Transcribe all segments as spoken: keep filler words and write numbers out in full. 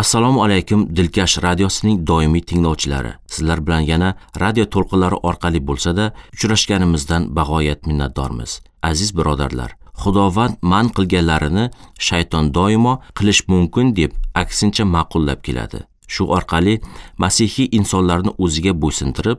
Assalomu alaykum Dilkash radiosining doimiy tinglovchilari. Sizlar bilan yana radio to'lqinlari orqali bo'lsa-da uchrashganimizdan bag'oyat minnatdormiz. Aziz birodarlar, Xudovand man qilganlarini shayton doimo qilish mumkin deb aksincha ma'qullab keladi. Shu orqali masihiy insonlarni o'ziga bo'ysuntirib,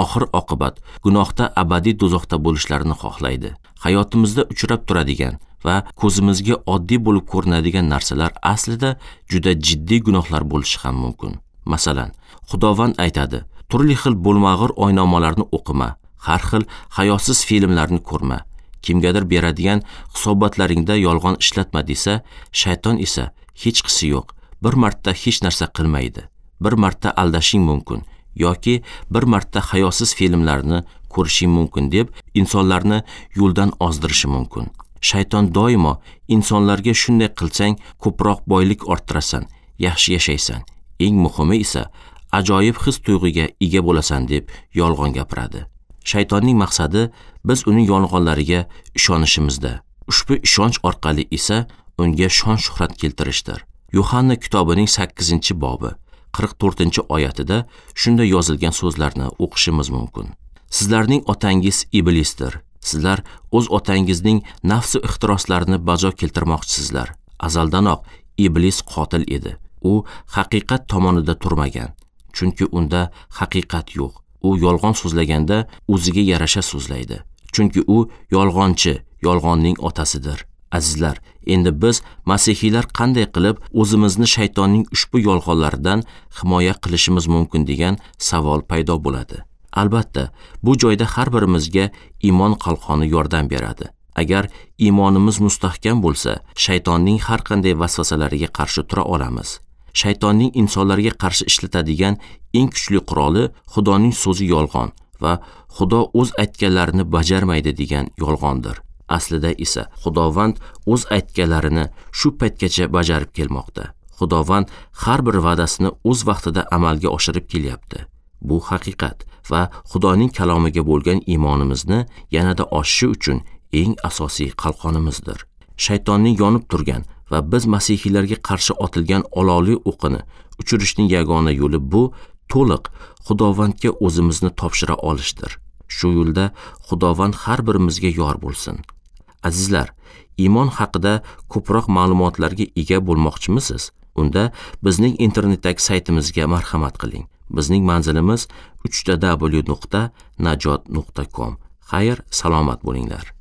oxir oqibat gunohda abadiy do'zaxda bo'lishlarini xohlaydi. Hayotimizda uchrab turadigan va ko'zimizga oddiy bo'lib ko'rinadigan narsalar aslida juda jiddiy gunohlar bo'lishi ham mumkin. Masalan, Xudovand aytadi: turli xil bo'lmag'ur oynomalarni o'qima, har xil hayosiz filmlarni ko'rma, kimgadir beradigan hisobotlaringda yolg'on ishlatma desa, shayton esa hechqisi yo'q, bir marta hech narsa qilmaydi, bir marta aldashing mumkin yoki bir marta hayosiz filmlarni ko'rishing mumkin deb insonlarni yo'ldan ozdirishi mumkin. Shayton doimo insonlarga shunday qilsang ko'proq boylik orttirasan, yaxshi yashaysan, eng muhimi esa ajoyib his tuyg'uga ega bo'lasan deb yolg'on gapiradi. Shaytonning maqsadi biz uning yolg'onlariga ishonishimizda. Ushbu ishonch orqali esa unga shon-shuhrat keltirishdir. Yuhanna kitobining sakkizinchi bobi qirq to'rtinchi oyatida shunday yozilgan so'zlarni o'qishimiz mumkin. Sizlarning otangiz iblisdir. Sizlar o'z otangizning nafsi ixtiroslarini bajo keltirmoqchisizlar. Azaldanoq iblis qotil edi. U haqiqat tomonida turmagan, chunki unda haqiqat yo'q. U yolg'on so'zlaganda o'ziga yarasha so'zlaydi, chunki u yolg'onchi, yolg'onning otasidir. Azizlar, endi biz masihiylar qanday qilib o'zimizni shaytonning ushbu yolg'onlaridan himoya qilishimiz mumkin degan savol paydo bo'ladi. Albatta, bu joyda har birimizga iymon qalqoni yordam beradi. Agar iymonimiz mustahkam bo'lsa, shaytonning har qanday vasvasalariga qarshi tura olamiz. Shaytonning insonlarga qarshi ishlatadigan eng kuchli quroli Xudoning so'zi yolg'on va Xudo o'z aytganlarini bajarmaydi degan yolg'ondir. Aslida esa Xudovand o'z aytganlarini shu paytgacha bajarib kelmoqda. Xudovand har bir va'dasini o'z vaqtida amalga oshirib kelyapti. Bu haqiqat va Xudoning kalomiga bo'lgan iymonimizni yanada oshishi uchun eng asosiy qalqonimizdir. Shaytonning yonib turgan va biz masihiylarga qarshi otilgan olovli o'qini uchirishning yagona yo'li bu to'liq Xudovandga o'zimizni topshira olishdir. Shu yo'lda Xudovand har birimizga yor bo'lsin. Azizlar, iymon haqida ko'proq ma'lumotlarga ega bo'lmoqchimisiz? Unda bizning internetdagi saytimizga marhamat qiling. Bizning manzilimiz uch ta w nuqta najot nuqta com. Xayr, salomat bo'linglar.